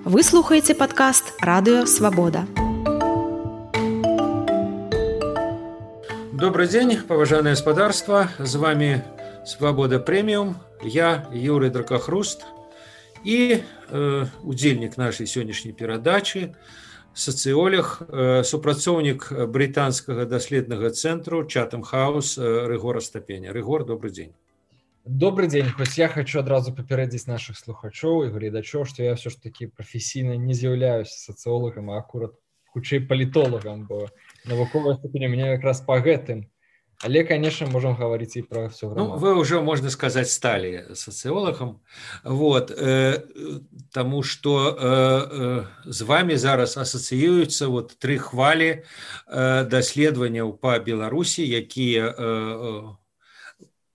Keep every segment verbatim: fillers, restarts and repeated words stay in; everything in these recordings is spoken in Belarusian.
Вы слухаеце падкаст «Радыё Свабода». Добрый день, поважанное господарство. С вами «Свобода премиум». Я Юрий Дракохруст и э, удзельнік нашей сегодняшней перадачи, социолог, э, супрацоўнік британского доследного центру Chatham House Рыгор Астапеня. Рыгор, добрый день. Добрый день. Хоть я хочу одразу папярэдзіць наших слухачоў і гледачоў, што я все ж таки професійна не з'яўляюся социологом, а акурат хутчэй палітолагам, бо навуковая ступень у меня как раз по гэтым. Але, конечно, можем говорить и про все грамматику. Ну, вы уже, можно сказать, стали социологом, вот, э, тому что э, э, с вами зараз ассоциируются вот три хвали э, даследаванняў по Беларуси, якія э, э,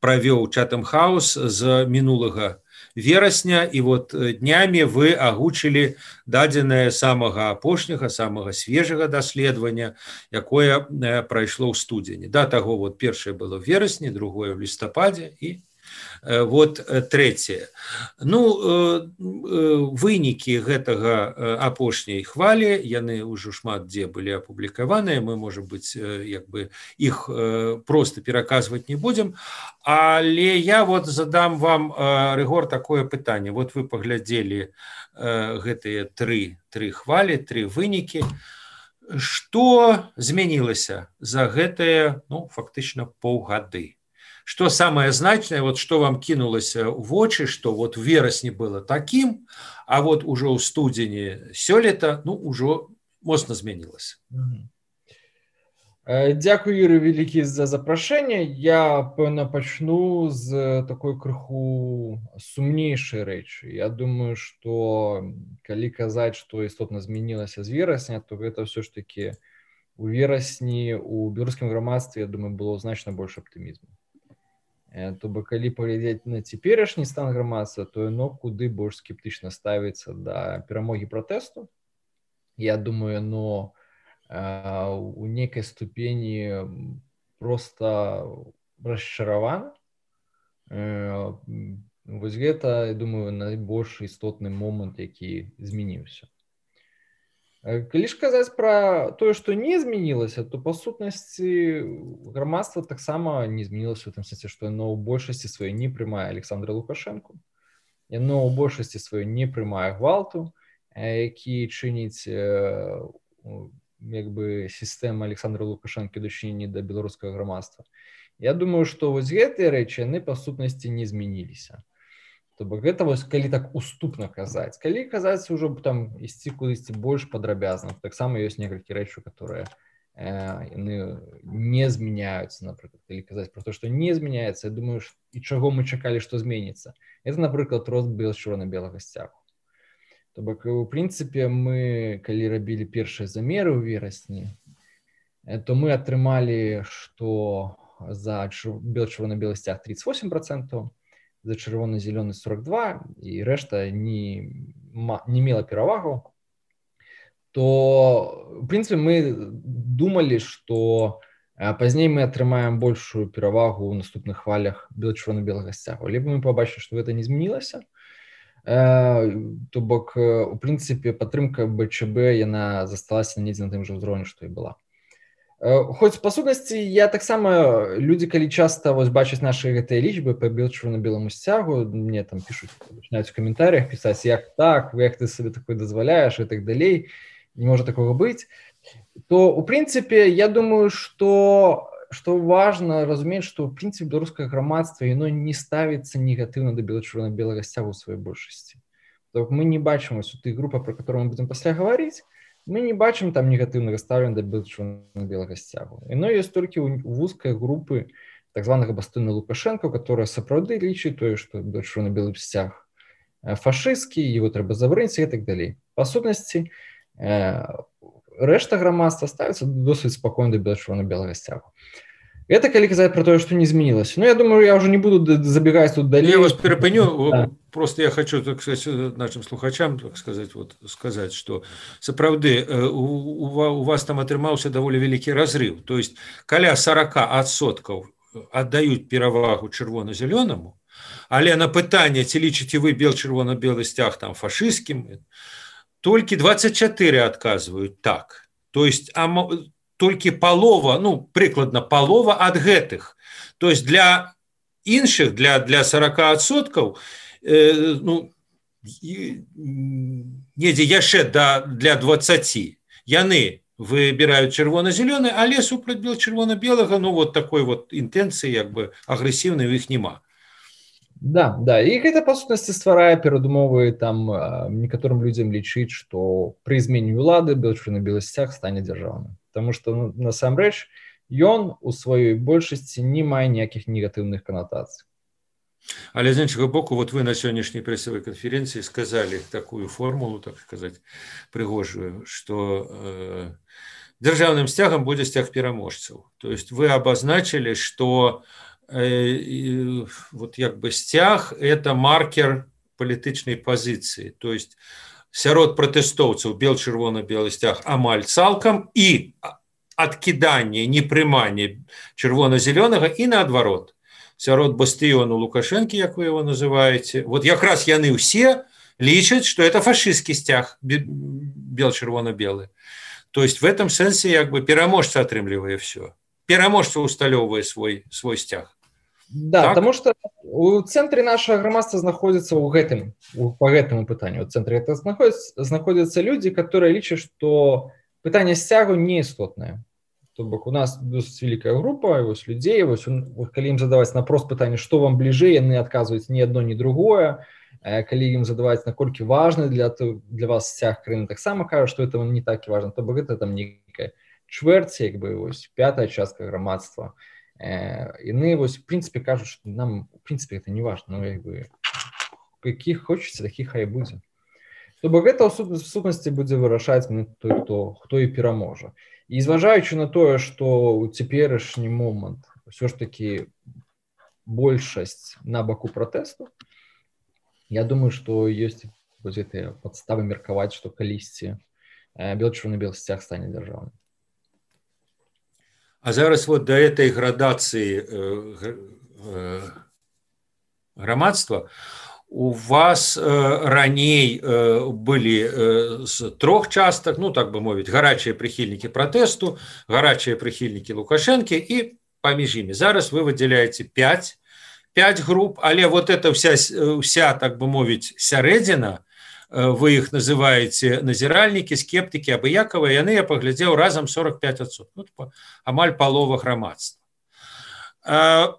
правёў Chatham House з мінулага верасня, і вот днямі вы агучылі дадзенае самага апошняга, самага свежага даследавання, якое прайшло ў студзені. Да таго вот першае было в верасні, другое в лістападзе і вот трэцяе. Ну, вынікі гэтага апошняй хвалі, яны ўжо шмат дзе былі апублікаваныя, мы, можа быць, як бы іх проста пераказваць не будзем, але я вот задам вам, Рыгор, такое пытанне. Вот вы паглядзелі гэтыя тры, тры хвалі, тры вынікі. Што змянілася за гэтыя, ну, фактычна паўгады? Что самое значное, вот что вам кинулось в очи, что вот в верасні было таким, а вот уже у студзені сёлета, ну, уже моцна змянілася. Дякую, Юрий, вялікі за запрашэнне. Я, пэўна, пачну з такой крыху сумнейшай рэчы. Я думаю, что калі казаць, што істотна змянілася з верасня, то гэта ўсё ж таки у верасні у беларускім грамадстве, я думаю, было значна больш аптымізму. То бок, калі паглядзець на цяперашні стан грамадства, то яно куды больш скептычна ставіцца да перамогі пратэсту. Я думаю, но у нейкай ступені проста расчаравана. Вось гэта, я думаю, найбольш істотны момант, які змяніўся. Калі ж казаць пра тое, што не змянілася, то па сутнасці грамадства таксама не змянілася ў тым сэнсе, што яно ў большасці сваёй не прымае Александра Лукашэнку, яно ў большасці сваёй не прымае гвалту, які чыніць як бы сістэма Александра Лукашэнкі ў дачыненні да беларускага грамадства. Я думаю, што вось гэтыя рэчы яны па сутнасці не змяніліся. То бок гэта вось калі так уступна казаць. Калі казаць ужо там ісці кудысьці больш падрабязна, таксама ёсць некалькі рэчаў, которые яны не змяняюцца, напрыклад. Калі казаць пра то, што не змяняецца, я думаю, і чаго мы чакалі, што зменіцца. Это, напрыклад, рост чырвона-белага сцягу. То бок, у прынцыпе, мы, калі рабілі першыя замеры ў верасні, то мы атрымалі, што за чырвона-белы сцяг тридцать восемь процентов, за чырвона-зялёны сорок два, і рэшта не, не мела перавагу, то, в прынцыпе, мы думалі, што пазней мы атрымаем большую перавагу ў наступных хвалях чырвона-белага сцягу. Либо мы пабачылі, што гэта не змянілася, то бок, у прынцыпе, падтрымка БЧБ, яна засталася недзе на тым жа ўзроўні, што і была. Хоць, па сутнасці, я таксама, людзі, калі часта вось бачаць нашы гэтыя лічбы па чырвона-беламу сцягу, мне там пішуць, пачынаюць у каментарыях пісаць, як так, як ты сабе такое дазваляеш і так далей, не можа такога быць, то, у прынцыпе, я думаю, што, што важна разумець, што, у прынцыпе, беларускае грамадства, яно не ставіцца негатыўна да чырвона-белага сцягу ў сваёй большасці. То мы не бачым вось у тых групах, пра которые мы будзем пасля гаварыць, мы не бачым там негатыўнага стаўлення да чырвона-белага сцягу. Яно ёсць толькі ў вузкай групы так званага бастыёна Лукашэнка, которая сапраўды лічыць тое, што чырвона-белы сцяг фашысцкі, его трэба забараніць і так далей. Па сутнасці, рэшта грамадства ставіцца досыць спакойна да чырвона-белага сцягу. Это калі казаць про то, что не изменилось. Но я думаю, я уже не буду забегать тут далее. Я вас перепыню. Да. Просто я хочу, так сказать, нашим слухачам, так сказать, вот, сказать, что сапраўды у, у вас там атрымаўся даволі вялікі разрыв. То есть, каля сорок процентов отдают перавагу чырвона-зялёнаму, але на пытанне, ці лічыце вы бел-чырвона-белы сцяг там фашысцкім, толькі двадцать четыре адказваюць так. То есть а, толькі палова, ну прыкладна палова ад гэтых. То есть для іншых, для, для сорок адсоткаў, э, ну, недзе яшчэ да, для двадцати яны выбирают чырвона-зялёны, але супраць чырвона-белага, ну вот такой вот інтэнцыі як бы агрэсіўнай у іх няма. Да, да, і гэта па сутнасці стварае перадумовы там некаторым людзям лічыць, што пры змене ўлады бело-чырвона-белы сцяг стане дзяржаўным. Таму што ну, насамрэч ён у сваёй большасці не мае ніякіх негатыўных канатацый. Але з іншага боку, вот вы на сённяшняй прэсавай канферэнцыі сказалі такую формулу, так сказаць, прыгожую, што э, дзяржаўным сцягам будзе сцяг пераможцаў. То есть вы абазначылі, што э, вот як бы сцяг – это маркер палітычнай пазіцыі. То есть сярод пратэстоўцаў бел-чырвона-белы сцяг амаль цалкам і адкіданне, непрыманне чырвона-зялёнага і наадварот. Сярод бастыёну Лукашэнкі, як вы его называете, вот якраз яны ўсе лічаць, што это фашысцкі сцяг бел-чырвона-белы. То есть в этом сэнсе як бы пераможца атрымлівае все. Пераможца усталёўвае свой, свой сцяг. Да, так? Потому что у цэнтры нашага грамадства знаходзіцца ў гэтым, по гэтаму пытанню. У цэнтры это знаходзяцца, знаходзяцца людзі, которые лічаць, што пытанне сцягу не істотнае. То бок у нас досыць вялікая група вось людзей, вось, калі ім задаваць напрост пытанне, што вам бліжэй, яны адказваюць ні адно, ні другое. Калі ім задаваць, наколькі важны для, для вас сцяг краіны, таксама кажа, што это не так і важна. То бок гэта там нейкая чвэрць, як бы вось пятая частка грамадства. Яны вось в прынцыпе кажуць, што нам в прынцыпе гэта не важна, ну як бы якіх хочаце, такіх хай будзе. То бок гэта ў сутнасці будзе вырашаць той, хто, хто і пераможа. І зважаючы на тое, што ў цяперашні момант ўсё ж такі большасць на баку пратэсту, я думаю, што ёсць вось гэтыя падставы меркаваць, што калісьці бел-чырвона-белы сцяг стане дзяржаўным. А зараз вот до этой градацыі э, э, грамадства у вас э, раней э, былі э, з трох частак, ну так бы мовіць, гарачыя прыхільнікі пратэсту, гарачыя прыхільнікі Лукашэнкі і паміж імі. Зараз вы выдзяляеце пять, пять груп, але вот эта вся, вся так бы мовіць, сярэдзіна, э, вы іх называеце назіральнікі, скептыкі, абыякавыя, яны, я паглядзеў, разам сорок пять адсоткаў, ну, амаль палова грамадства. Э,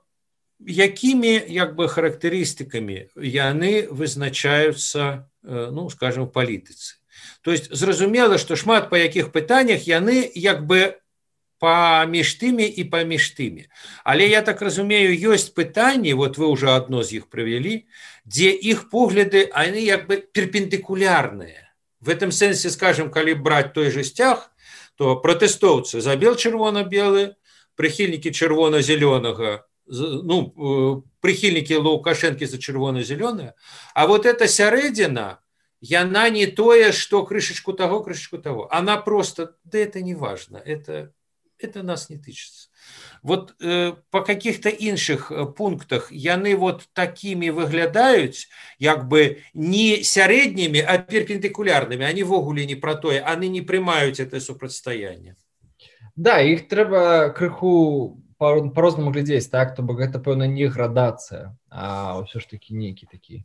Якімі як бы характарыстыкамі яны вызначаюцца, ну скажем, в палітыцы. То есть зразумела, што шмат па якіх пытаннях яны як бы паміж тымі і паміж тымі. Але я так разумею, ёсць пытанні, вот вы ўжо адно з іх прывялі, дзе іх погляды яны як бы перпендыкулярныя. В этом сэнсе, скажем, калі браць той же сцяг, то пратэстоўцы за бел-чырвона-белы, прыхільнікі чырвона-зялёнага, ну, прыхільнікі Лукашэнкі за чырвона-зялёныя, а вот эта сярэдзіна, яна не тое, што крышачку таго, крышачку таго. Она просто, да это не важно, это, это нас не тычыцца. Вот э, по каких-то іншых пунктах яны вот такімі выглядаюць, як бы не сярэднімі, а перпендыкулярнымі, они ввогуле не пра тое, они не прымаюць это супрацьстаянне. Да, іх трэба крыху по-рознаму глядзець, так, то бок гэта, пэўна, не градацыя, а ўсё ж такі нейкі такі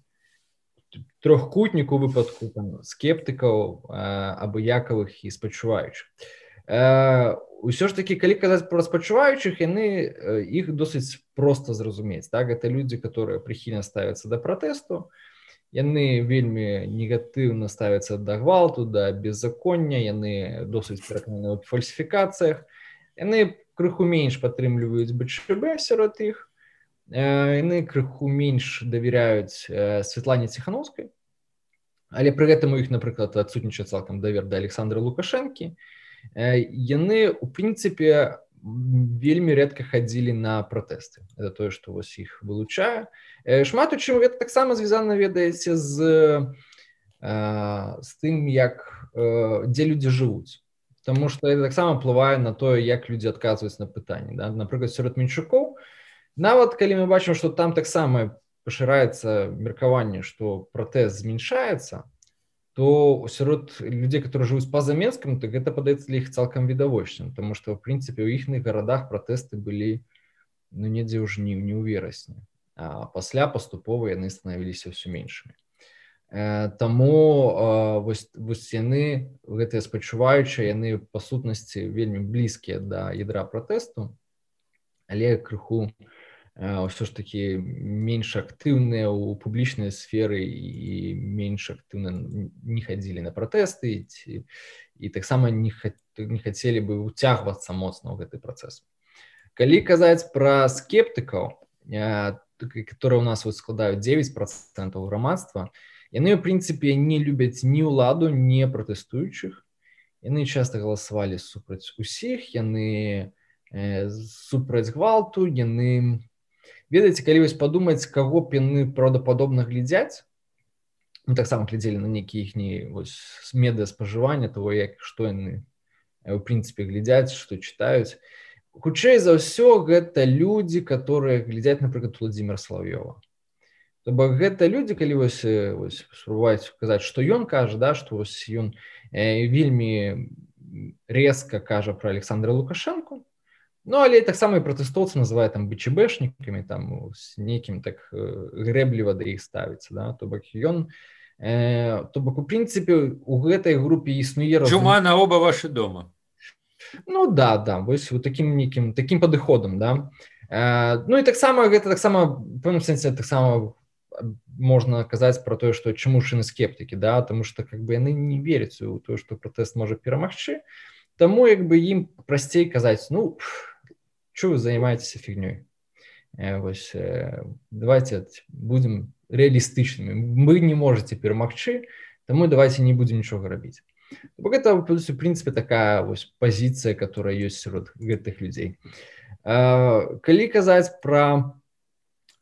трохкутнік у выпадку там, скептыкаў, абыякавых і спачуваючых. Усё ж такі, калі казаць пра спачуваючых, яны іх досыць проста зразумець. Так? Гэта людзі, которые прыхільна ставяцца да пратэсту, яны вельмі негатыўна ставяцца да гвалту, да беззаконня, яны досыць перакананы ў фальсіфікацыях, яны крыху менш падтрымліваюць БЧБ сярод іх, яны крыху менш давяряюць Святлане Ціхановскай, але пры гэтым у іх, напрыклад, адсутнічае цалкам давер да Александра Лукашэнкі. Яны, у прынцыпе, вельмі рэдка хадзілі на пратэсты. Это тое, што вось іх вылучае. Шмат у чым гэта таксама звязана, ведаеце, з, з тым, як, дзе людзі жывуць. Таму што это таксама ўплывае на тое, як людзі адказваюць на пытанні. Да? Напрыклад, сярод менчукоў, нават калі мы бачым, што там таксама пашыраецца меркаванне, што пратэст зменшаецца, то сярод людзей, которые жывуць па-за Менскам, так гэта падаецца для іх цалкам відавочным, тому што, в прынцыпе, у іхных гарадах пратэсты былі ну, недзе ў жніўні, ў верасні, а пасля паступова яны станавіліся ўсё меншымі. Таму вось, вось яны, гэтыя спачуваючыя, яны па сутнасці вельмі блізкія да ядра пратэсту, але крыху ўсё ж такі менш актыўныя ў публічнай сферы і менш актыўна не хадзілі на пратэсты ці, і таксама не, не хацелі бы ўцягвацца моцна ў гэты працэс. Калі казаць пра скептыкаў, которые у нас вот складаюць дзевяць працэнтаў грамадства, яны, в прынцыпе, не любяць ні ўладу, ні пратэстуючых. Яны часта галасавалі супраць усіх, яны э, супраць гвалту, яны... Ведаеце, калі вось падумаць, каго б яны праўдападобна глядзяць, ну, таксама глядзелі на нейкія іхні медыаспажывання, того, як, што яны, в прынцыпе, глядзяць, што чытаюць. Хутчэй за ўсё, гэта людзі, которые глядзяць, напрыклад, Владзіміра Салаўёва. То бок гэта людзі, калі вось, вось спрабаваць казаць, што ён кажа, да, што вось ён э, вельмі резка кажа пра Александра Лукашэнку, ну, але таксама і пратэстоўцы называе там БЧБшнікамі, там з нейкім так грэбліва да іх ставіцца, да, то бок ён, э, то бок у прынцыпе у гэтай групе існуе разум... Чума на оба ваши дома. Ну да, да, вось у такім нейкім такім падыходам, да. Э, ну і таксама гэта таксама в пэўным сэнсе таксама можна казаць пра тое, што чаму ж яны скептыкі, да, таму што как бы яны не вераць у тое, што пратэст можа перамагчы, таму як бы ім прасцей казаць, ну, чё вы займаецеся фігнёй? Э, вось, э, давайте будзем рэалістычнымі. Вы не можаце перамагчы, таму давайте не будзем нічога рабіць. Бо гэта, в прынцыпе, такая вось пазіцыя, которая ёсць сярод гэтых людзей. Э, калі казаць пра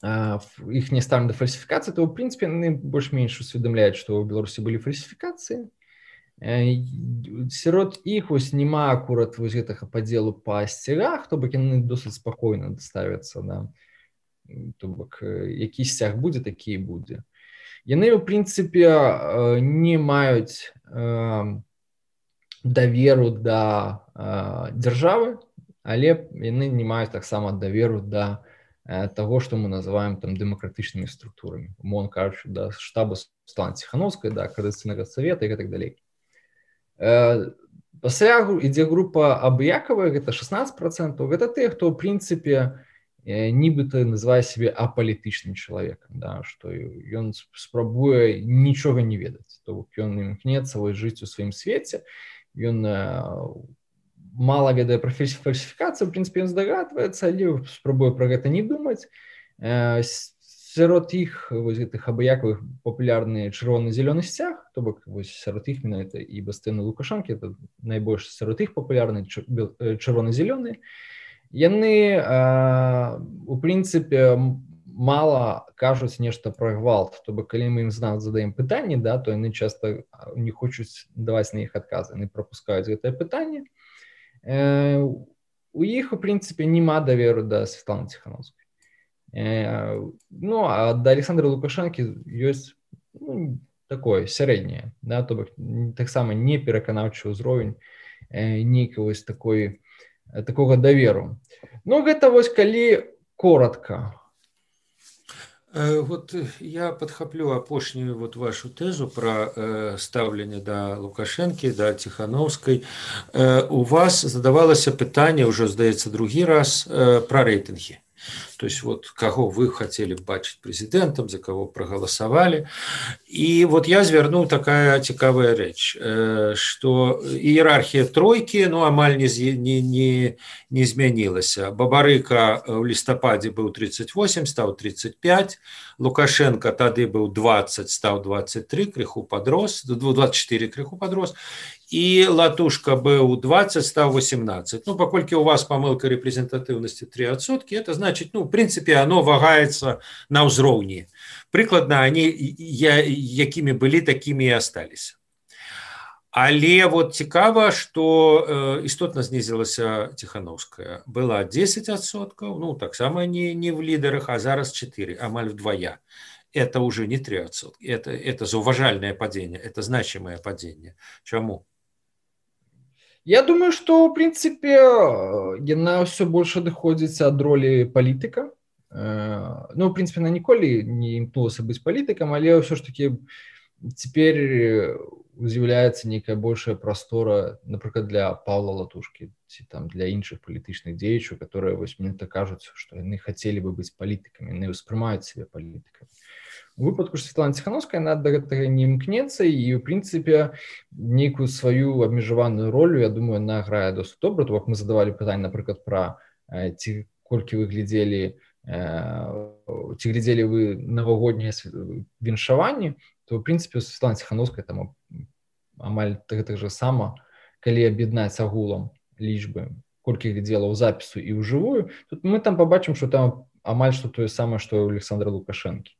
іх не ставлю да фальсіфікацыі, то, в прынцыпе, яны больш-менш усведамляюць, што ў Беларусі былі фальсіфікацыі. Сярод іх вось няма акурат вось гэтага падзелу па сцягах, то бок яны досыць спакойна ставяцца, да. То бок які сцяг будзе, такі і будзе. Яны, в прынцыпе, не маюць даверу да дзяржавы, але яны не маюць таксама даверу да того, што мы называем там дэмакратычнымі структурамі. Умоўна кажучы, да штаба Светланы Ціханаўскай, да Коордынацыйнага савета і гэтак далей. Пасля ідзе група абыякавая, гэта шаснаццаць працэнтаў. Гэта тыя, хто, в прынцыпе, нібыта называе сябе апалітычным чалавекам, да, што ён спрабуе нічога не ведаць. То бок ён імкнецца вось жыць у сваім свеце, ён мала ведае пра фальсіфікацыю, в прынцыпе, ён здагадваецца, але спрабуе пра гэта не думаць. Сярод іх вось гэтых абыякавых папулярны чырвона-зялёны сцяг, то бок вось сярод іх менавіта і Бастыёны Лукашэнкі, это найбольш сярод іх папулярны чырвона-зялёны. Яны, у прынцыпе, мала кажуць нешта пра гвалт, то бок калі мы ім задаем пытанні, да, то яны часта не хочуць даваць на іх адказы, яны прапускаюць гэтае пытанне. У іх, у прынцыпе, няма даверу да Светланы Ціханаўскай. Ну, а да Александра Лукашэнкі ёсць ну, такое сярэдняе, да, то бок таксама не пераканаўчы ўзровень нейкага вось такой, такога даверу. Ну, гэта вось калі коротка. Вот я подхоплю апошнюю вот вашу тезу про э, ставленне да Лукашэнкі, да Ціханаўскай. Э, у вас задавалася пытанне, ўжо, здаецца, другі раз, э, пра рэйтынгі. То есть вот кого вы хотели бачить президентом, за кого проголосовали. И вот я звярнуў такая цікавая рэч, что иерархия тройки, ну, амаль не, не, не, не змянілася. Бабарыка в лістападзе быў тридцать восемь, стаў тридцать пять, Лукашенко тады быў двадцать, стаў двадцать три, крыху подрос, двадцать четыре крыху подрос, и Латушка быў двадцать, стаў восемнадцать. Ну, паколькі у вас памылка репрезентатыўнасці три адсоткі, это значит, ну, в принципе, оно вагаецца на ўзроўні. Прыкладна, они я, якімі былі, такімі і асталіся. Але вот цікава, што э, істотна знізілася Ціханаўская. Была десять адсоткаў, ну, таксама не, не в лідарах, а зараз четыре, амаль вдвая. это уже не три адсоткі, это, это заўважальнае падзенне, это значимае падзенне. Чаму? Я думаю, што ў прынцыпе яна ўсё больш адыходзіць ад ролі палітыка. Ну, в принципе, она ніколі не імкнулася быць палітыкам, але ўсё ж таки цяпер з'яўляецца нейкая большая прастора, напрыклад, для Паўла Латушкі ці там для іншых палітычных дзеячаў, которые вось мне так кажуць, што яны хацелі бы быць палітыкамі, яны ўспрымаюць сябе палітыкамі. У выпадку ж Светланы Ціхановскай яна да гэтага не імкнецца, і ў прынцыпе нейкую сваю абмежаваную ролю, я думаю, яна грае досыць добра. То бок мы задавалі пытанне, напрыклад, пра ці колькі вы глядзелі ці глядзелі вы навагоднія віншаванні, то в прынцыпе Светлана Ціхановская там амаль гэтак жа сама, калі аб'яднаць агулам лічбы, колькі глядзела ў запісу і ў жывую, тут мы там пабачым, што там амаль што тое самае, што ў Александра Лукашэнкі.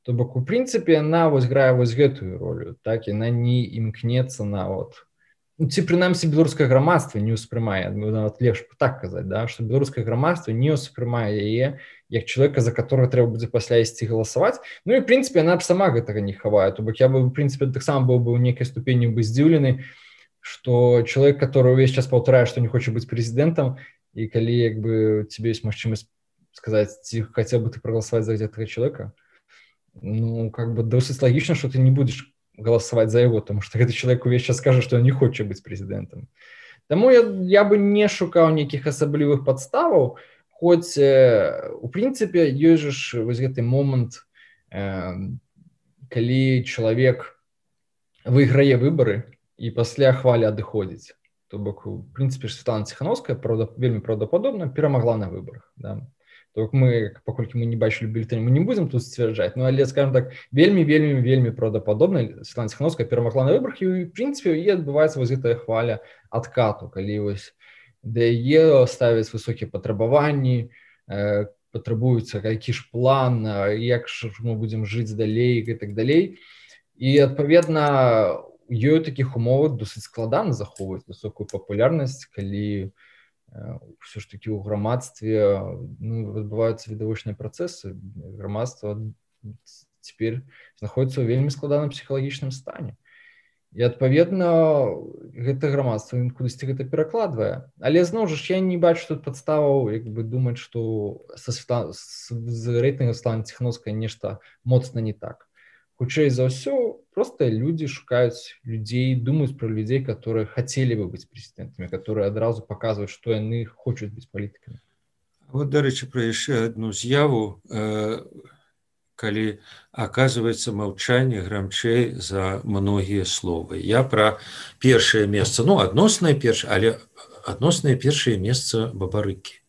То бок у прынцыпе яна вось грае вось гэтую ролю, так, яна не імкнецца на вот, ну, ці прынамсі беларускае грамадства не ўспрымае, нават лепш так казаць, да, што беларускае грамадства не ўспрымае яе як чалавека, за которого трэба будзе пасля ісці галасаваць. Ну і в прынцыпе яна б сама гэтага не хавае. То бок я бы в прынцыпе таксама быў бы ў нейкай ступені бы здзіўлены, што чалавек, который увесь час паўтарае, што не хоча быць прэзідэнтам, і калі як бы тебе ёсць магчымасць сказаць, ці хацеў бы ты прагаласаваць за гэтага чалавека, ну как бы досыць лагічна, што ты не будзеш галасаваць за яго, тому што гэты чалавек увесь час скажа, што ён не хоча быць прэзідэнтам. Таму я, я бы не шукаў нейкіх асаблівых падставаў, хоць у прынцыпе ёсць жа вось гэты момант, э, калі чалавек выйграе выбары і пасля хвалі адыходзіць. То бок у прынцыпе Светлана Ціхановская правда, вельмі праўдападобна перамагла на выбарах, да. То мы, паколькі мы не бачылі бюлетэнь, мы не будзем тут сцвярджаць, ну але, скажем так, вельмі вельмі вельмі праўдападобна Светлана Ціхановская перамагла на выбарах, і в прынцыпе і адбываецца вось гэтая хваля адкату, калі вось да яе ставяць высокія патрабаванні, э, патрабуецца які ж план, як ж мы будзем жыць далей і так далей. І адпаведна ёй у такіх умовах досыць складана захоўваць высокую папулярнасць, калі ўсё ж такі ў грамадстве ну, адбываюцца відавочныя працэсы. Грамадства цяпер знаходзіцца ў вельмі складаным псіхалагічным стане. І адпаведна гэта грамадства кудысьці гэта перакладвае. Але зноў жа я не бачу тут падставаў як бы думаць, што са Светла... з рэйтынгам Светланы Ціхановскай нешта моцна не так. Хутчэй за ўсё, просто людзі шукаюць людзей, думаюць пра людзей, которые хацелі бы быць прэзідэнтамі, которые адразу паказваюць, што яны хочуць быць палітыкамі. Вот, дарэчы, пра яшчэ адну з'яву, э, калі аказваецца маўчанне грамчэй за многія словы. Я пра першае месца, ну, адноснае першае, але адноснае першае месца Бабарыкі.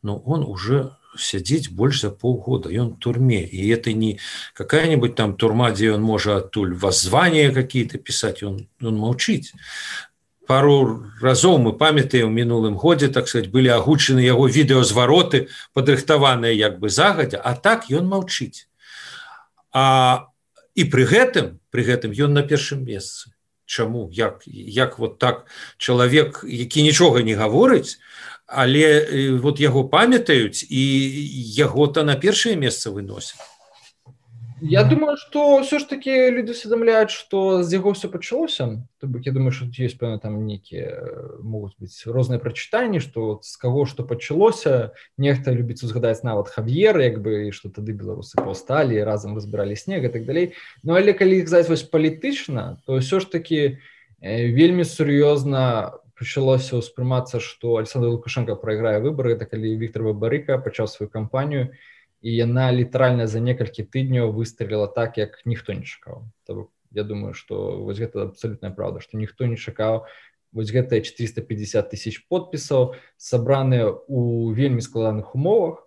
Ну, он уже сядзіць больш за полгода, ён в турме, и это не какая-нибудь там турма, где он может оттуль воззвания какие-то писать, он, он молчить. Пару разоў мы памятаем, у мінулым годзе, так сказать, были агучаны яго відэазвароты, падрыхтаваныя як бы загадзя, а так ён молчить. А, і при гэтым, при гэтым ён на першым месцы. Чаму? Як, як вот так чалавек, які нічога не гаворыць, але вот яго памятаюць і яго-то на першае месца выносяць. Я думаю, што ўсё ж такі людзі усведамляюць, што з яго ўсё пачалося. То бок я думаю, што ёсць пэўна там нейкія могуць быць розныя прачытанні, што з каго што пачалося. Нехта любіць узгадаць нават Хав'ера, як бы што тады беларусы паўсталі, разам разбіралі снег і так далей. Ну але калі казаць вось палітычна, то ўсё ж такі вельмі сур'ёзна пачалося ўспрымацца, што Александр Лукашенко прайграе выбары, так калі Віктор Бабарыка пачаў сваю кампанію, і яна літаральна за некалькі тыдняў выстреліла так, як ніхто не чакаў. То, я думаю, што вось гэта абсалютная праўда, што ніхто не чакаў. Вось гэтыя четыреста пятьдесят тысяч подпісаў сабраныя ў вельмі складаных умовах,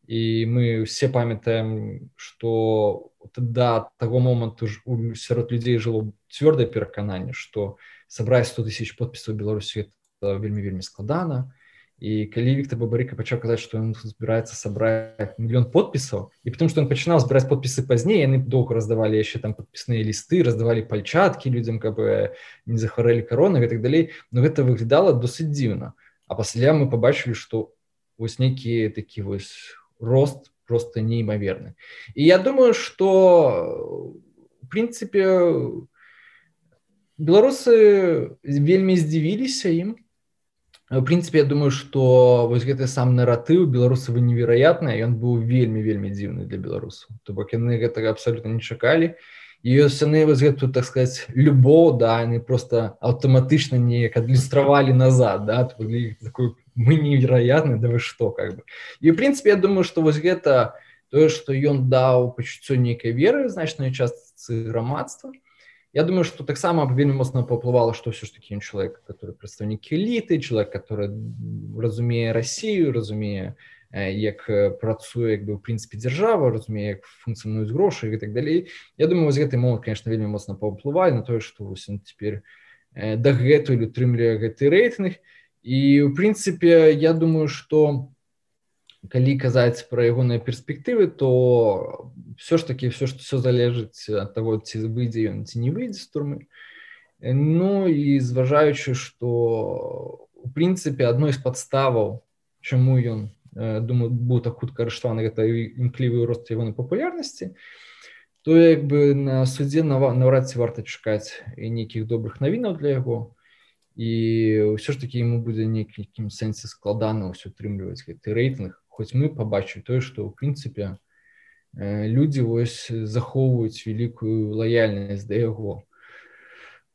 і мы ўсе памятаем, што да таго моманту сярод людзей жыло цвёрдае перакананне, што сабраць сто тысяч подпісаў у Беларусі это вельмі-вельмі складана. І калі Віктор Бабарыка пачаў казаць, што ён збіраецца сабраць мільён подпісаў, і потому што ён пачынаў збіраць подпісы пазней, яны доўга раздавалі яшчэ там падпісныя лісты, раздавалі пальчаткі людзям, каб не захварэлі каронай і так далей. Но гэта выглядала досыць дзіўна. А пасля мы пабачылі, што вось нейкі такі вось рост просто неймаверны. І я думаю, што в прынцыпе беларусы вельмі здзівіліся ім. В прынцыпе, я думаю, што вось гэты сам наратыў беларусаў невероятны, ён быў вельмі-вельмі дзіўны для беларусаў. То бок яны гэтага абсалютна не чакалі. І вось яны вось гэту, так сказаць, любоў, да, яны просто аўтаматычна неяк адлюстравалі назад, да, такой, мы невероятны, да вы што, как бы. І в прынцыпе, я думаю, што вось гэта тое, што ён даў пачуццё нейкай веры значнай частцы грамадства. Я думаю, что таксама вельмі моцна паўплывала, што ўсё ж такі ён чалавек, который прадстаўнік эліты, чалавек, который разумее Расію, разумее, як працуе, як бы, ў прынцыпе, дзяржава, разумее, як функцыянуюць грошы і так далей. Я думаю, вось гэты момант, конечно, вельмі моцна паўплывае на тое, што вось ён цяпер дагэтуль утрымлівае гэты рэйтынг. І, ў прынцыпе, я думаю, што калі казаць пра ягоныя перспектывы, то все ж таки все, все залежыць ад таго, ці выйдзе ён, ці не выйдзе з турмы. Ну і зважаючы, што у прынцыпе адной з падставаў, чаму ён, думаю, быў так хутка арыштаваны, гэта імклівы рост ягонай папулярнасці, то як бы на судзе наўрад ці варта чакаць і нейкіх добрых навінаў для яго. І ўсё ж таки яму будзе нейкім сэнсе складана ўсё утрымліваць гэты рэйтынг. Хоць мы пабачылі тое, што ў прынцыпе людзі вось захоўваюць вялікую лаяльнасць да яго.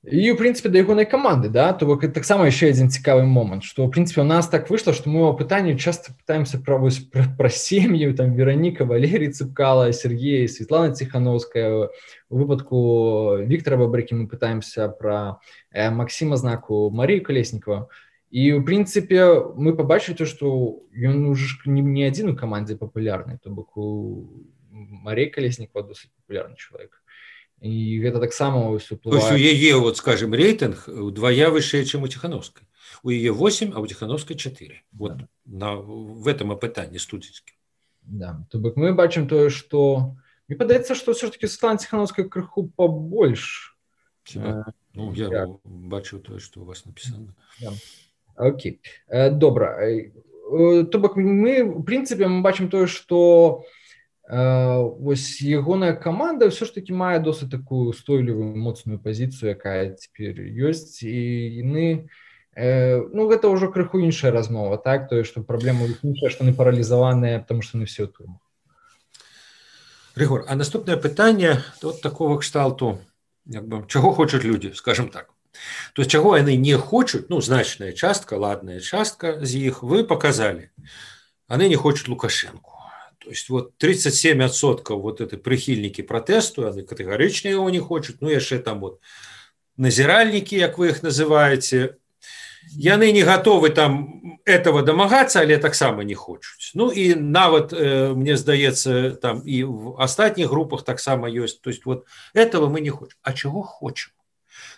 І, ў прынцыпе, да ягонай каманды, да, то бок таксама яшчэ адзін цікавы момант, што, ў прынцыпе, у нас так выйшла, што мы ў пытанні часта пытаемся пра, вось, пра, пра сем'і, там, Вераніка, Валерій Цыпкала, Сергей, Светлана Ціхановская. У выпадку Віктора Бабрыкі мы пытаемся пра э, Максіма Знаку, Марію Калеснікова. І, ў прынцыпе, мы пабачылі то, што ён уже не, не адзін у камандзе папулярны, то бок у Марія Калеснікова досыць папулярны чалавек. І гэта таксама ўсё ўплывае. То есть у яе, вот, скажем, рейтинг удвая вышэй, чым у Ціхановскай. У яе восемь, а у Ціхановскай четыре. Вот да. На, в этом апытанні студзеньскім. Да, то бок мы бачым тое, што... Мне падаецца, што ўсё ж таки Светлана Ціхановская крыху побольш. Хіба? Ну, я так. Бачыў тое, што у вас напісана. Да. Окей. Добра. То бок мы, в прынцыпе, мы бачым тое, што вось ягоная каманда ўсё ж таки мае досыць такую устойлівую моцную пазіцыю, якая цяпер ёсць, і яны, ну, гэта ўжо крыху іншая размова, так, тое, што праблема іншая, што яны паралізаваныя, таму што яны все ў турмах. Рыгор, а наступнае пытанне от такого кшталту, як бы, чаго хочуць людзі, скажем так. То есть чаго яны не хочуць, ну, значная частка, ладная частка з іх вы показалі. Яны не хочуць Лукашенку. То есть вот тридцать семь процентов вот это прихильники протесту, они категорично его не хочут, ну яшчэ там вот назиральники, как вы их называете, яны не готовы там этого домагаться, але таксама не хочуць. Ну и нават, э, мне здаецца, там и в остальных группах таксама есть, то есть вот этого мы не хочем. А чего хочем?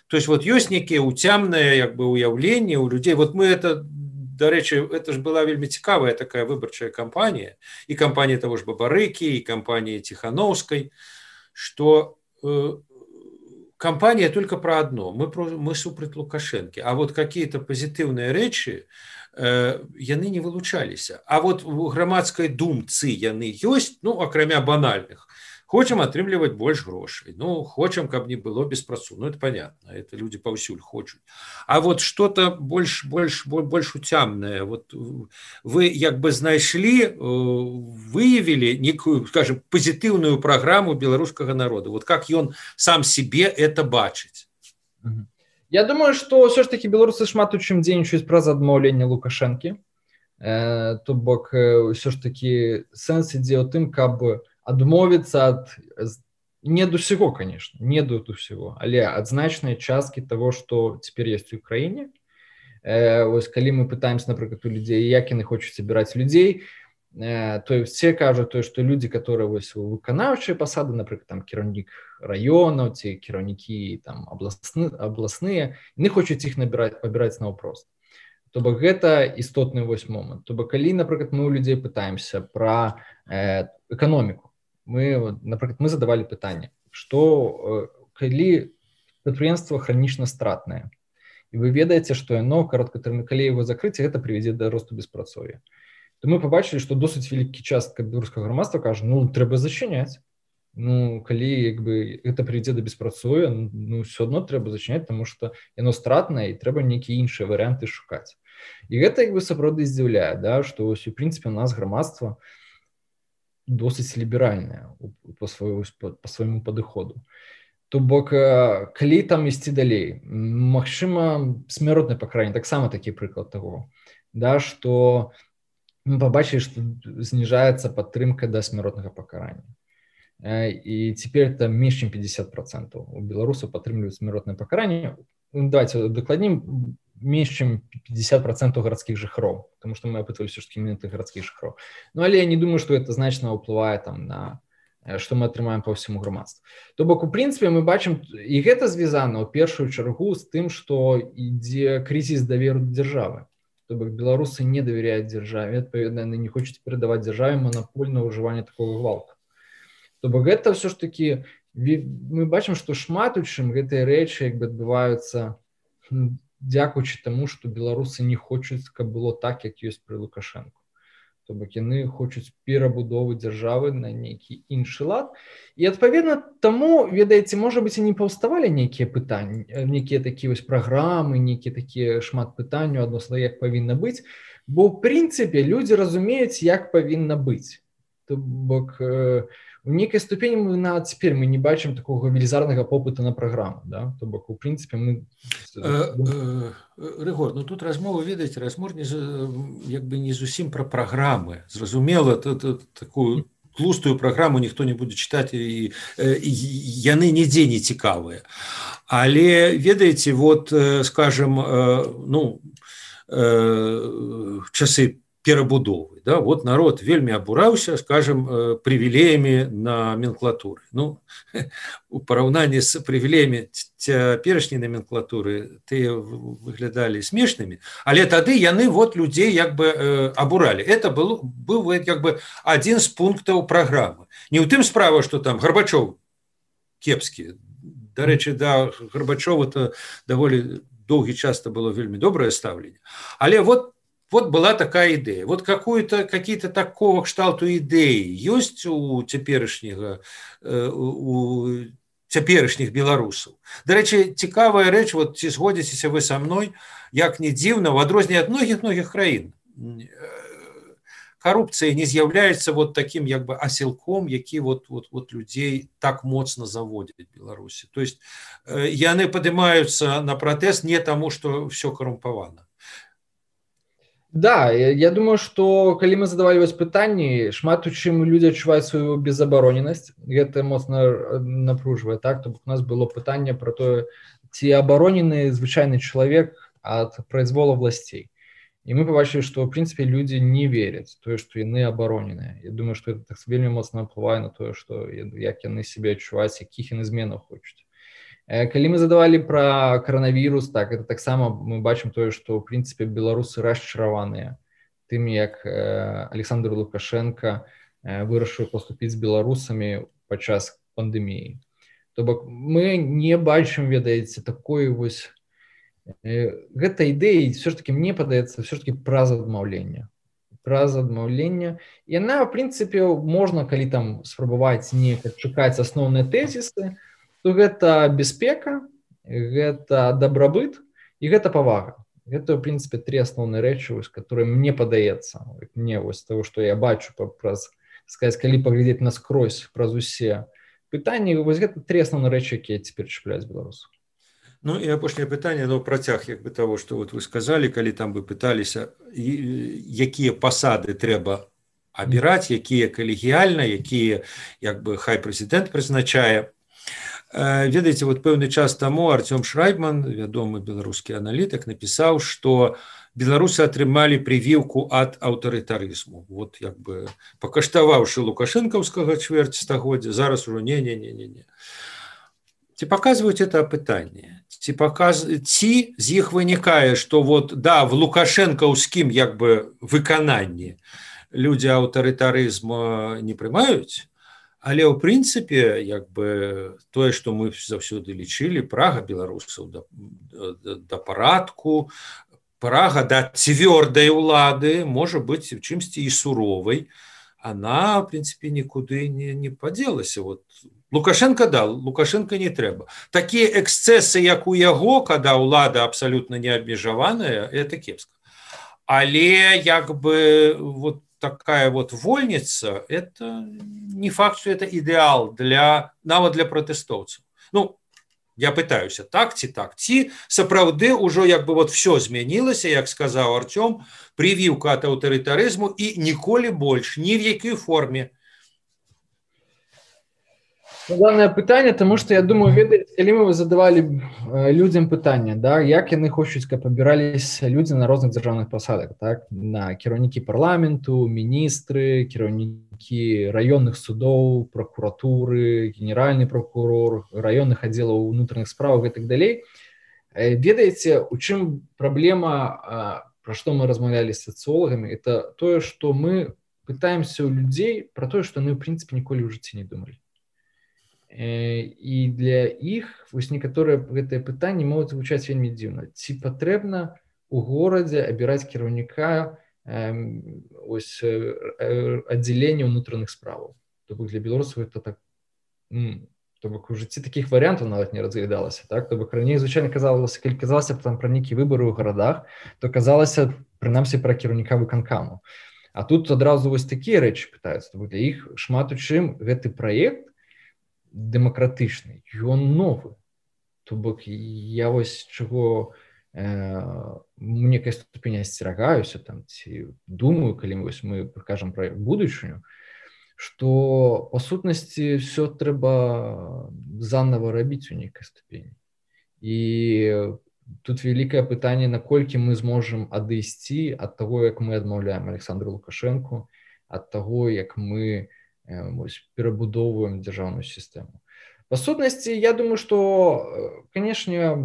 То есть вот есть некие уцямныя, як бы, уяўленні у людей, вот мы это... Дарэчы, это ж была вельмі цікавая такая выбарчая кампанія, і кампанія того ж Бабарыкі, і кампанія Ціхановскай, што э, кампанія только про одно, мы, про, мы супраць Лукашэнкі, а вот какие-то позитивные рэчы э, яны не вылучаліся. А вот у грамадскай думцы яны ёсць, ну, акрамя банальных. Хочам атрымліваць больш грошай, ну, хочам, каб не было беспрацу, ну, это понятно, это люди паўсюль хочуць. А вот что-то больш, больш, больш уцямнае, вот вы як бы знайшлі, выявілі некую, скажем, позитивную программу беларускага народа, вот как ён сам себе это бачыць? Я думаю, что все ж таки беларусы шмат у чым дзейнічаюць праз адмаўленне Лукашэнкі, э, то бок все ж таки сэнс ідзе ў тым, каб адмовіцца ад, не ад усяго, конечно, не ад усяго, але ад значнай часткі того, што цяпер ёсць у краіне. Э, вось калі мы пытаемся, напрыклад, у людзей, як яны хочуць абіраць людзей, э, то все кажуць, то, што людзі, которые вось у выканаўчыя пасады, напрыклад, там кіраўнік раёнаў ці кіраўнікі там абласны, абласныя, яны хочуць іх набіраць, пабіраць наўпрост. То бок гэта істотны вось момант. То бок калі, напрыклад, мы у людзей пытаемся пра э, эканоміку, мы, напрыклад, мы задавалі пытанне, што калі прадпрыемства хранічна стратнае, і вы ведаеце, што яно кароткатэрмінова, калі яго закрыць, гэта прывядзе да росту беспрацоўя, то мы побачылі, што досыць вялікі частка беларускага грамадства кажа, ну трэба зачыняць. Ну калі як бы гэта прывядзе да беспрацоўя, ну ўсё адно трэба зачыняць, таму што яно стратнае і трэба нейкія іншыя варыянты шукаць. І гэта як бы сапраўды здзіўляе, да, што вось у прынцыпе у нас грамадства досыць ліберальнае па свайму па свайму падыходу. То бок калі там ісці далей, магчыма смяротнае пакаранне, таксама такі прыклад таго, да, што мы пабачылі, што зніжаецца падтрымка да смяротнага пакарання. І цяпер это менш чым пятьдесят процентов у беларусаў падтрымліваюць смяротнае пакаранне. Давайте дакладнім, менш чым пятьдесят процентов гарадскіх жыхароў, потому што мы апытвалі ўсё ж такі менавіта гарадскіх жыхароў. Ну але я не думаю, што это значна ўплывае там на што мы атрымаем па ўсяму грамадству. То бок у прынцыпе мы бачым, і гэта звязана ў першую чаргу з тым, што ідзе крызіс даверу да дзяржавы. То бок беларусы не давяряюць дзяржаве, адпаведна яны не хочуць перадаваць дзяржаве манапольнае ўжыванне такога гвалту. То бок гэта ўсё ж такі, мы бачым, што шмат у чым гэтыя рэчы як бы адбываюцца дзякуючы таму, што беларусы не хочуць, каб было так, як ёсць пры Лукашэнку. То бок яны хочуць перабудовы дзяржавы на нейкі іншы лад. І адпаведна таму, ведаеце, можа быць, і не паўставалі нейкія пытанні, нейкія такія вось праграмы, нейкія такія шмат пытанняў адносна як павінна быць, бо ў прынцыпе людзі разумеюць, як павінна быць. То бок у нейкай ступені мы нават цяпер мы не бачым такога велізарнага попыту на праграму, да? То бок у прынцыпе мы Рыгор, ну тут размова, ведаеце, размова як бы не зусім пра праграмы. Зразумела, такую тлустую праграму ніхто не будзе чытаць, і яны нідзе не цікавыя. Але ведаеце, вот скажем, ну часы перабудовы, да, вот народ вельмі абураўся, скажем, прывілеямі номенклатуры. Ну, у параўнанні з прывілеямі цяперашняй номенклатуры тыя выглядалі смешнымі, але тады яны вот людзей як бы абуралі. Это был, быў як бы адзін з пунктаў праграмы. Не ў тым справа, што там Гарбачоў кепскі. Дарэчы, да Гарбачова то даволі доўгі час было вельмі добрае стаўленне. Але вот Вот была такая идея. Вот какую-то, какие-то такого кшталту идеи есть у теперешнего, у теперешних белорусов. До речі, цікавая реч, вот ці згодзіцеся вы со мной, як не дзіўна, в адрозненне ад многіх-многіх краін, коррупция не з'яўляецца вот таким як бы асілком, які вот, вот, вот людей так моцна заводят в Беларуси. То есть яны падымаюцца на протест не тому, что все коррумпавана. Да, я думаю, што калі мы задавалі вось пытанні, шмат у чым людзі адчуваюць сваю безабароненасць, гэта моцна напружвае, так? То бок у нас было пытанне пра тое, ці абаронены звычайны чалавек ад прайзвола власцей. І мы пабачылі, што ў прынцыпе людзі не веряць тое, што яны абароненыя. Я думаю, што гэта так вельмі моцна ўплывае на тое, што як яны сябе адчуваюць, якіх яны зменаў хочуць. Калі мы задавалі пра каранавірус, так, это таксама мы бачым тое, што ў прынцыпе беларусы расчараваныя тым, як Александр Лукашенко вырашыў паступіць з беларусамі падчас пандэміі. То бок мы не бачым, ведаеце, такой вось гэта ідэі, все ж таки мне падаецца, все ж таки праз адмаўленне. Праз адмаўленне. Яна, ў прынцыпе, можна, калі там спрабаваць неяк адшукаць асноўныя тэзісы, то гэта бяспека, гэта дабрабыт і гэта павага. Гэта, ў прынцыпе, тры асноўныя рэчы, которые мне падаецца, мне вось того, што я бачу праз, сказаць, калі паглядзець наскрозь праз усе пытанні, вось гэта тры асноўныя рэчы, якія цяпер чапляюць беларусаў. Ну і апошняе пытанне, ну працяг як бы того, што вот вы сказалі, калі там вы пыталіся, якія пасады трэба абіраць, якія калегіяльна, якія як бы хай прэзідэнт прызначае. Ведаеце, вот пэўны час таму Артём Шрайбман, вядомы беларускі аналітык, напісаў, што беларусы атрымалі прывіўку ад аўтарытарызму. Вот як бы пакаштаваўшы лукашэнкаўскага чвэрць стагоддзя, зараз ужо не-не-не-не-не. Ці паказваюць это апытанне? Ці, паказ... Ці з іх вынікае, што вот, да, в лукашэнкаўскім як бы выкананні людзі аўтарытарызма не прымаюць, але ў прынцыпе як бы тое, што мы заўсёды лічылі, прага беларусаў да, да, да парадку, прага да цвёрдай улады можа быць чымсьці і суровай, она, в принципе, нікуды не, не падзелася. Вот. Лукашенко, да, Лукашенко не трэба. Такія эксцэсы, як у яго, когда ўлада абсолютно не абмежаваная, это кепска. Але як бы вот такая вот вольница, это не факт, что это идеал для, нават для протэстоўцаў. Ну, я пытаюся, так ці так, ці сапраўды ўжо як бы вот все змянілася, як сказаў Артём, привіўка ад аўтарытарызму і ніколі больш, ні в якой форме. Главное пытанне, тому што я думаю, ведаеце, калі мы задавалі людзям пытанне, да, як яны хочуць, каб абіраліся людзі на розных дзяржаўных пасадах, так, на кіраўнікі парламенту, міністры, кіраўнікі раённых судоў, пракуратуры, генеральны прокурор, раённых аддзелаў унутраных справаў і так далей. Ведаеце, у чым праблема, пра што мы размаўлялі з сацыолагамі, это тое, што мы пытаемся ў людзей пра тое, што яны, ў прынцыпе, ніколі ў жыцці не думалі. І для іх вось некаторыя гэтыя пытанні могуць гучаць вельмі дзіўна. Ці патрэбна ў горадзе абіраць кіраўніка ось аддзялення ўнутраных справаў? То бок для беларусаў это так, то бок у жыцці такіх варыянтаў нават не разглядалася, так? То бок раней звычайна казалася, калі казалася там пра нейкія выбары ў гарадах, то казалася прынамсі пра кіраўніка выканкаму. А тут адразу вось такія рэчы пытаюцца. То бок для іх шмат у чым гэты праект дэмакратычны, ён новы. То бок я вось чаго э, у некай ступені асцерагаюся там, ці думаю, калі вось мы кажам пра будучыню, што па сутнасці все трэба заново рабіць у нейкай ступені. І тут вялікае пытанне, наколькі мы зможам адысці ад таго, як мы адмаўляем Александру Лукашэнку, ад таго, як мы ось, перабудоўваем дзяржаўную сістэму. Па сутнасці, я думаю, што, канешне,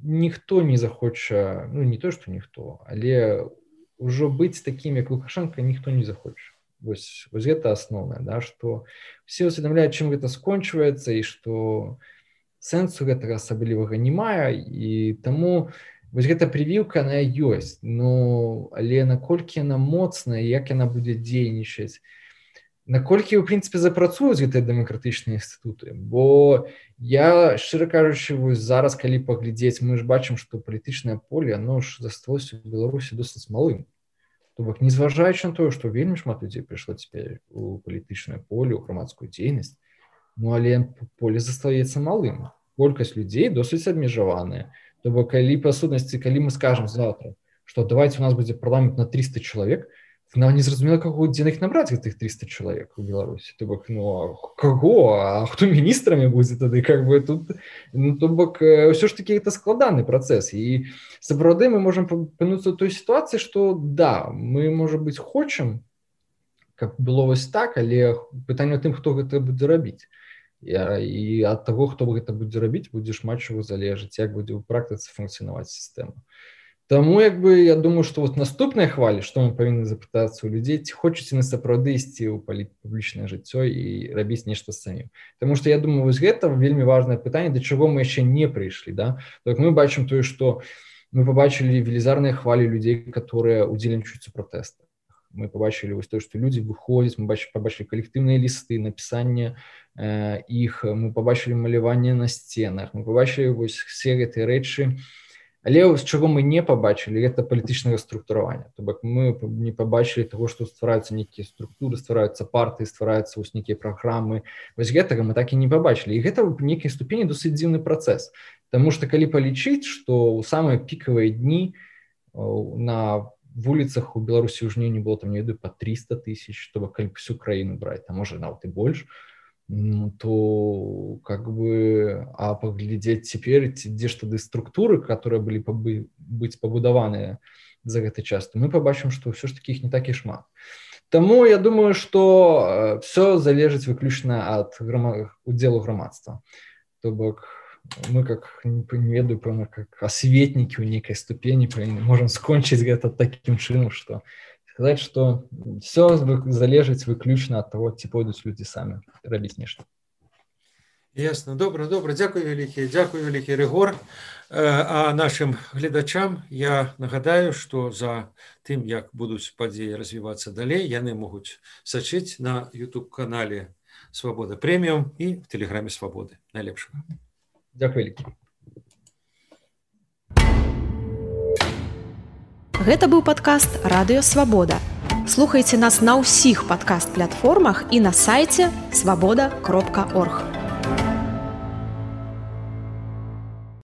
ніхто не захоча, ну, не то, што ніхто, але ўжо быць такім, як Лукашенко, ніхто не захоча. Вось, вось гэта асноўнае, да, што все усведамляюць, чым гэта скончваецца, і што сэнсу гэтага асаблівага не мае, і таму вось гэта прывіўка, она ёсць, ну, але наколькі яна моцная, як яна будзе дзейнічаць, наколькі, у прынцыпе, запрацуюць гэтыя дэмакратычныя інстытуты, бо я, шчыра кажучы, вось зараз, калі паглядзець, мы ж бачым, што палітычнае поле, оно ж засталося ў Беларусі досыць малым. То бок, незважаючы на тое, што вельмі шмат людзей прыйшло цяпер у палітычнае поле, у грамадскую дзейнасць, ну, але поле застаецца малым. Колькасць людзей досыць абмежаваная. То бок, калі, па сутнасці, калі мы скажам заўтра, што давайте у нас будзе парламент на триста чалавек, нам не зразумела, каго, дзе іх набраць гэтых триста чалавек у Беларусі. То бок, ну, а каго? А хто міністрамі будзе тады? Как бы тут, ну, то бок, ўсё ж такі гэта складаны працэс. І сапраўды мы можам апынуцца ў той сітуацыі, што да, мы, можа быць, хочам, каб было вось так, але пытанне ў тым, хто гэта будзе рабіць. І ад таго, хто гэта будзе рабіць, будзе шмат чаго залежыць, як будзе ў практыцы функцыянаваць сістэма. Таму, як бы, я думаю, што вот наступныя хвалі, што мы павінны запытацца ў людзей, ці хочуць яны сапраўды ісці ў публічнае жыццё і рабіць нешта самім. Таму што я думаю, вось гэта вельмі важнае пытанне, да чаго мы яшчэ не прыйшлі, да? Так мы бачым тое, што мы пабачылі велізарныя хвалі людзей, которые удзельнічаюць у пратэстах. Мы пабачылі вось тое, што людзі выходзяць, мы пабачылі калектыўныя лісты, напісанне э, іх, мы пабачылі маляванне на сценах, мы пабачылі вось все гэтыя рэчы. Але з чаго мы не пабачылі, гэта палітычнае структураванне. То бок мы не пабачылі таго, што ствараюцца нейкія структуры, ствараюцца партыі, ствараюцца вось нейкія праграмы. Вось гэтага мы так і не пабачылі. І гэта ў нейкай ступені досыць дзіўны працэс. Таму што калі палічыць, што ў самыя пікавыя дні на вуліцах у Беларусі ў жніўні было там, не ведаю, па триста тысяч, то бок калі всю краіну браць, там можа нават і больш, ну, то как бы, а паглядзець цяпер, дзе ж тады структуры, которые былі пабы, быць пабудаваныя за гэты час, то мы пабачым, што ўсё ж таки іх не так і шмат. Таму я думаю, што все залежыць выключна ад грама... удзелу грамадства. То бок мы, как не ведаю, пэўна, как асветнікі ў нейкай ступені можам скончыць гэта такім чынам, што сказаць, што все залежыць выключна ад таго, ці пойдуць людзі самі рабіць нешта. Ясно, добра, добра, дзякуй вялікі, дзякуй вялікі, Рыгор. А нашим гледачам я нагадаю, што за тым, як будуць падзеі развівацца далей, яны могуць сачыць на YouTube-канале «Свабода Прэміум» і в тэлеграме «Свабоды». Найлепшага. Дзякуй вялікі. Гэта быў падкаст «Радыё Свабода». Слухайце нас на ўсіх падкаст-платформах і на сайце свабода кропка орг.